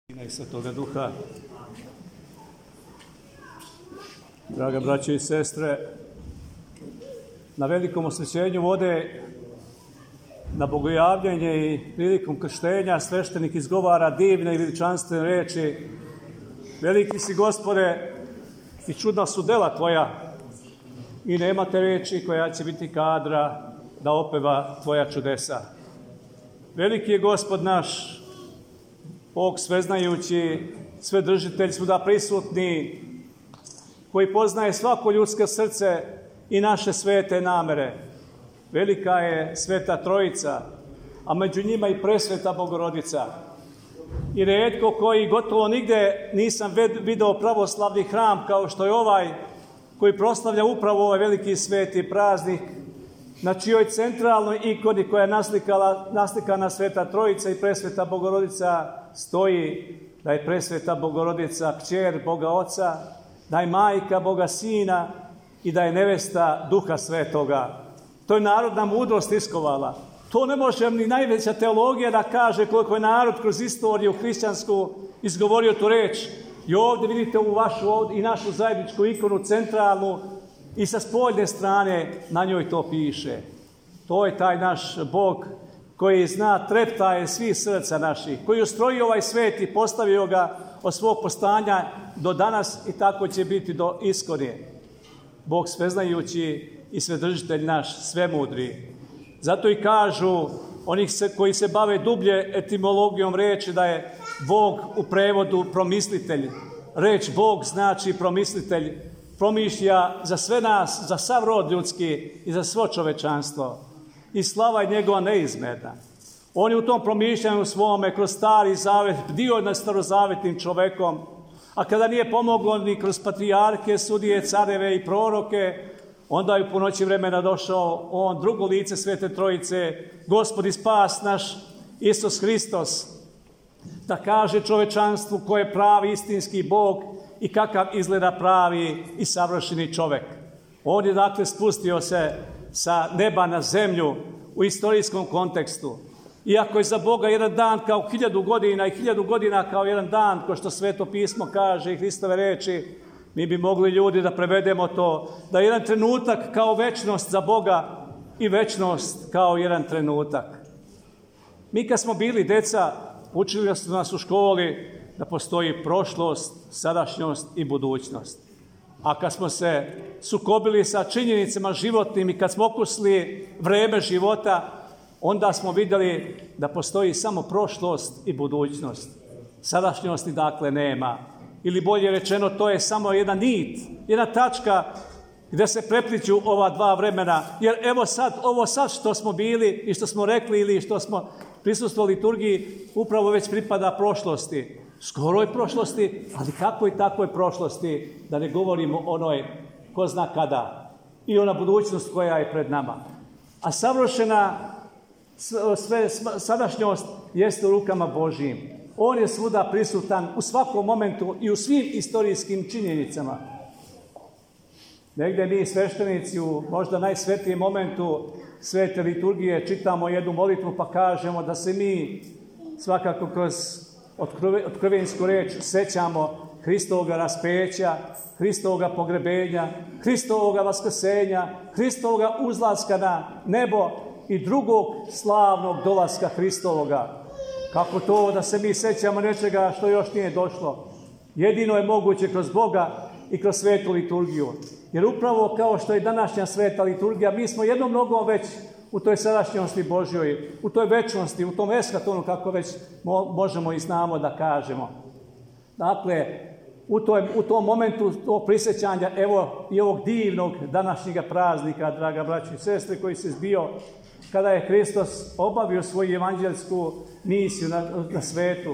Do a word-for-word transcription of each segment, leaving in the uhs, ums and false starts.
I Svetoga Duha. Draga braće i sestre, na velikom osvećenju vode, na bogojavljanje i prilikom krštenja sveštenik izgovara divne i veličanstvene reči: veliki si, Gospode, i čudna su dela tvoja, i nema te reči koja će biti kadra da opeva tvoja čudesa. Veliki je Gospod naš, Bog sveznajući, svedržitelj, svuda prisutni, koji poznaje svako ljudsko srce i naše svete namere. Velika je Sveta Trojica, a među njima i presveta Bogorodica. I retko koji, gotovo nigde nisam video pravoslavni hram kao što je ovaj, koji proslavlja upravo ovaj veliki sveti praznik, na čijoj centralnoj ikoni koja je naslikala, naslikana Sveta Trojica i presveta Bogorodica stoji da je presveta Bogorodica kćer Boga Oca, da je majka Boga Sina i da je nevesta Duha Svetoga. To je narodna mudrost iskovala. To ne može ni najveća teologija da kaže koliko je narod kroz istoriju hrišćansku izgovorio tu reč. I ovdje vidite u vašu ovdje, i našu zajedničku ikonu centralnu i sa spoljne strane na njoj to piše. To je taj naš Bog koji zna treptaje svih srca naših, koji ustrojio ovaj svet i postavio ga od svog postanja do danas i tako će biti do iskonije. Bog sveznajući i svedržitelj naš, svemudri. Zato i kažu onih se, koji se bave dublje etimologijom reči da je Bog u prevodu promislitelj. Reč Bog znači promislitelj, promišlja za sve nas, za sav rod ljudski i za svo čovečanstvo. I slava je njegova neizmerna. On je u tom promišljanju svome kroz stari zavet bdio nad starozavetnim čovekom, a kada nije pomoglo ni kroz patrijarke, sudije, careve i proroke, onda je u punoći vremena došao on, drugo lice Svete Trojice, Gospod i spas naš, Isus Hristos, da kaže čovečanstvu ko je pravi istinski Bog i kakav izgleda pravi i savršeni čovek. On je dakle spustio se sa neba na zemlju u istorijskom kontekstu. Iako je za Boga jedan dan kao hiljadu godina i hiljadu godina kao jedan dan, ko što Sveto pismo kaže i Hristove reči, mi bi mogli ljudi da prevedemo to, da je jedan trenutak kao večnost za Boga i večnost kao jedan trenutak. Mi kad smo bili deca, učili su nas u školi da postoji prošlost, sadašnjost i budućnost. A kad smo se sukobili sa činjenicama životnim i kad smo okusili vreme života, onda smo vidjeli da postoji samo prošlost i budućnost. Sadašnjosti dakle nema. Ili bolje rečeno, to je samo jedna nit, jedna tačka gdje se prepliću ova dva vremena. Jer evo sad, ovo sad što smo bili i što smo rekli ili što smo prisustvovali liturgiji, upravo već pripada prošlosti. Skoroj prošlosti, ali kakvoj takvoj prošlosti, da ne govorimo onoj ko zna kada. I ona budućnost koja je pred nama. A savršena sve, sadašnjost jeste u rukama Božijim. On je svuda prisutan u svakom momentu i u svim istorijskim činjenicama. Negdje mi sveštenici u možda najsvetijem momentu svete liturgije čitamo jednu molitvu pa kažemo da se mi svakako kroz otkrovensku reč sećamo Hristovoga raspeća, Hristovoga pogrebenja, Hristovoga vaskrsenja, Hristovoga uzlaska na nebo i drugog slavnog dolaska Hristovoga. Kako to da se mi sećamo nečega što još nije došlo? Jedino je moguće kroz Boga i kroz svetu liturgiju. Jer upravo kao što je današnja sveta liturgija, mi smo jednom nogom već u toj sadašnjosti Božjoj, u toj večnosti, u tom eskatonu, kako već mo- možemo i znamo da kažemo. Dakle, u, toj, u tom momentu tog prisjećanja, evo i ovog divnog današnjega praznika, draga braći i sestre, koji se zbio kada je Hristos obavio svoju evanđelsku misiju na, na svetu,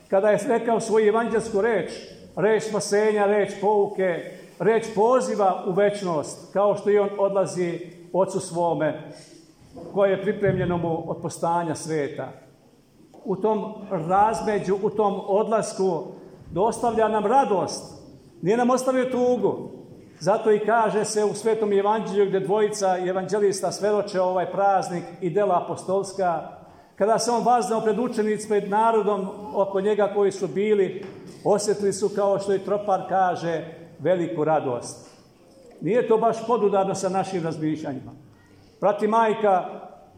kada je rekao svoju evanđelsku reč, reč spasenja, reč pouke, reč poziva u večnost, kao što i on odlazi Ocu svome, koje je pripremljeno mu od postanja sveta. U tom razmeđu, u tom odlasku dostavlja nam radost, nije nam ostavio tugu. Zato i kaže se u Svetom Evanđelju gdje dvojica evanđelista svedoče ovaj praznik i dela apostolska, Kada se on vaznao pred učenicima, pred narodom oko njega koji su bili, osjetili su, kao što i tropar kaže, veliku radost. Nije to baš podudarno sa našim razmišljanjima. Prati majka,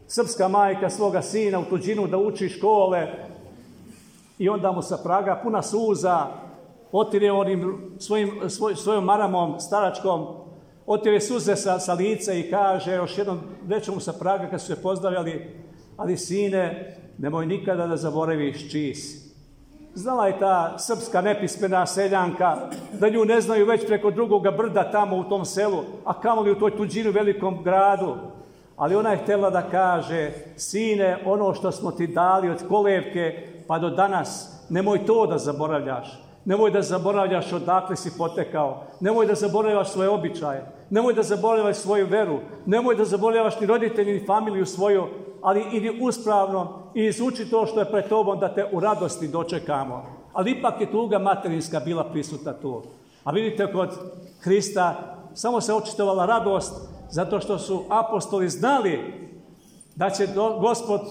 srpska majka svoga sina u tuđinu da uči škole i onda mu sa praga puna suza otire onim svojim, svoj, svojom maramom staračkom, otire suze sa, sa lica i kaže još jednom rečemu sa praga kad su se pozdravljali: ali sine, nemoj nikada da zaboraviš čiji si. Znala je ta srpska nepismena seljanka da nju ne znaju već preko drugoga brda tamo u tom selu, a kamoli u toj tuđini u velikom gradu. Ali ona je htjela da kaže: sine, ono što smo ti dali od kolevke pa do danas, nemoj to da zaboravljaš. Nemoj da zaboravljaš odakle si potekao. Nemoj da zaboravljaš svoje običaje. Nemoj da zaboravljaš svoju veru. Nemoj da zaboravljaš ni roditelji, ni familiju svoju, ali idi uspravno i izuči to što je pred tobom da te u radosti dočekamo. Ali ipak je tuga materinska bila prisutna tu. A vidite, kod Hrista samo se očitovala radost zato što su apostoli znali da će Gospod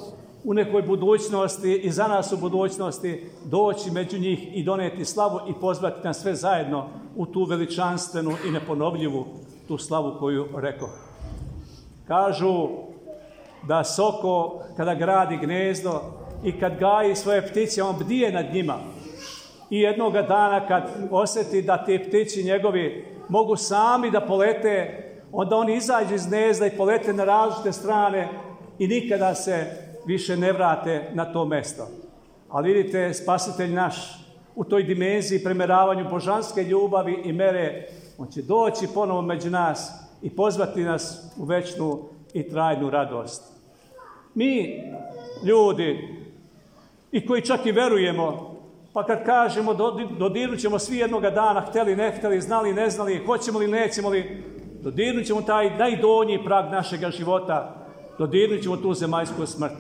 u nekoj budućnosti i za nas u budućnosti doći među njih i doneti slavu i pozvati nas sve zajedno u tu veličanstvenu i neponovljivu tu slavu koju rekao. Kažu da soko kada gradi gnezdo i kad gaji svoje ptice, on bdije nad njima. I jednoga dana kad osjeti da ti ptići njegovi mogu sami da polete, onda oni izađu iz gnezda i polete na različite strane i nikada se više ne vrate na to mjesto. Ali vidite, Spasitelj naš u toj dimenziji premeravanju božanske ljubavi i mere, on će doći ponovo među nas i pozvati nas u večnu i trajnu radost. Mi, ljudi, i koji čak i verujemo, pa kad kažemo dodirnut ćemo svi jednoga dana, hteli, ne hteli, znali, ne znali, hoćemo li, nećemo li, dodirnut ćemo taj najdonji prag našega života, dodirnut ćemo tu zemaljsku smrt.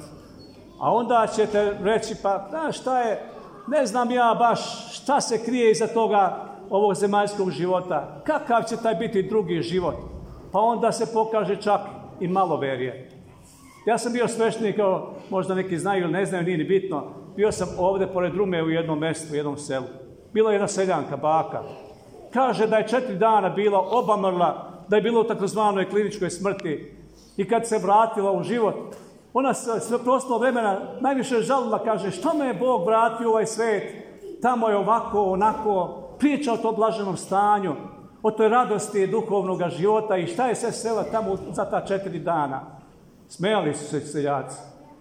A onda ćete reći: pa da, šta je, ne znam ja baš šta se krije iza toga ovog zemaljskog života, kakav će taj biti drugi život. Pa onda se pokaže čak i maloverje. Ja sam bio sveštenik, kao možda neki znaju ili ne znaju, nije ni bitno. Bio sam ovdje pored Rume u jednom mjestu, u jednom selu. Bila je jedna seljanka, baka. Kaže da je četiri dana bila obamrla, da je bila u takozvanoj kliničkoj smrti. I kad se vratila u život, ona se sve prosto vremena najviše žalila, kaže: što me je Bog vratio u ovaj svet? Tamo je ovako, onako, priča o tom blaženom stanju, o toj radosti duhovnog života i šta je sve sela tamo za ta četiri dana. Smejali su se seljaci,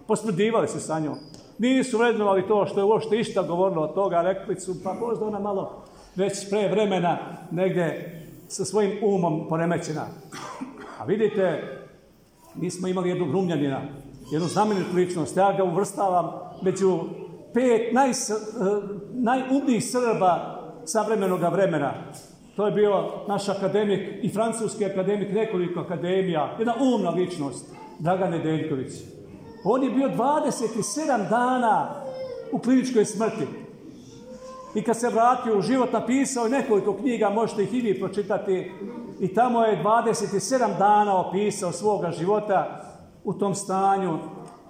posmrdivali se sa njom. Nisu vrednovali to što je uopšte išta govorilo od toga, rekli su: pa možda ona malo već pre vremena negdje sa svojim umom poremećena. A vidite, mi smo imali jednog Rumljanina, jednu znamenitu ličnost. Ja ga uvrstavam među pet naj, najumnijih Srba savremenoga vremena. To je bio naš akademik i francuski akademik, nekoliko akademija, jedna umna ličnost, Dragan Nedeljković. On je bio dvadeset sedam dana u kliničkoj smrti. I kad se vratio u život, napisao je nekoliko knjiga, možete ih i vi pročitati. I tamo je dvadeset sedam dana opisao svoga života u tom stanju,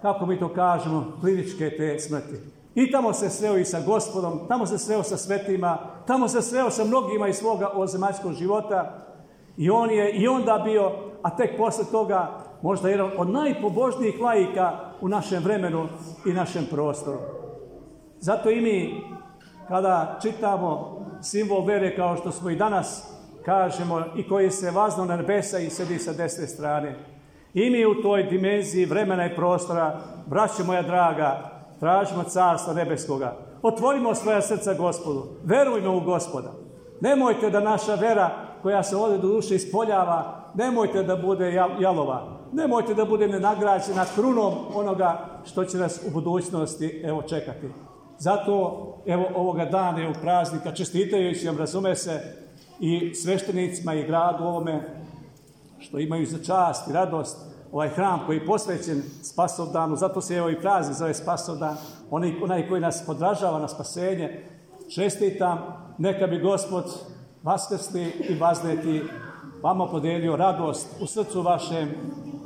kako mi to kažemo, kliničke te smrti. I tamo se sreo i sa Gospodom, tamo se sreo sa svetima, tamo se sreo sa mnogima iz svoga ozemaljskog života. I on je i onda bio, a tek posle toga, možda jedan od najpobožnijih laika u našem vremenu i našem prostoru. Zato i mi, kada čitamo simbol vere kao što smo i danas kažemo, i koji se vazno na nebesa i sedi sa desne strane, i mi u toj dimenziji vremena i prostora, braćo moja draga, tražimo carstva nebeskoga. Otvorimo svoja srca Gospodu. Verujmo u Gospoda. Nemojte da naša vera, koja se ovdje do duše ispoljava, nemojte da bude jalova. Nemojte da bude nenagrađena krunom onoga što će nas u budućnosti evo čekati. Zato evo ovoga dana, evo praznika, čestitajući vam, razume se, i sveštenicima i gradu ovome, što imaju za čast i radost ovaj hram koji je posvećen Spasovdanu, zato se evo i praznik zove Spasovdan, onaj, onaj koji nas podražava na spasenje. Čestitam, neka bi Gospod vaskrsli i vazneti vama podelio radost u srcu vašem,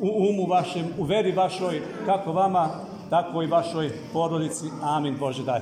u umu vašem, u veri vašoj, kako vama, tako i vašoj porodici. Amin. Bože daj.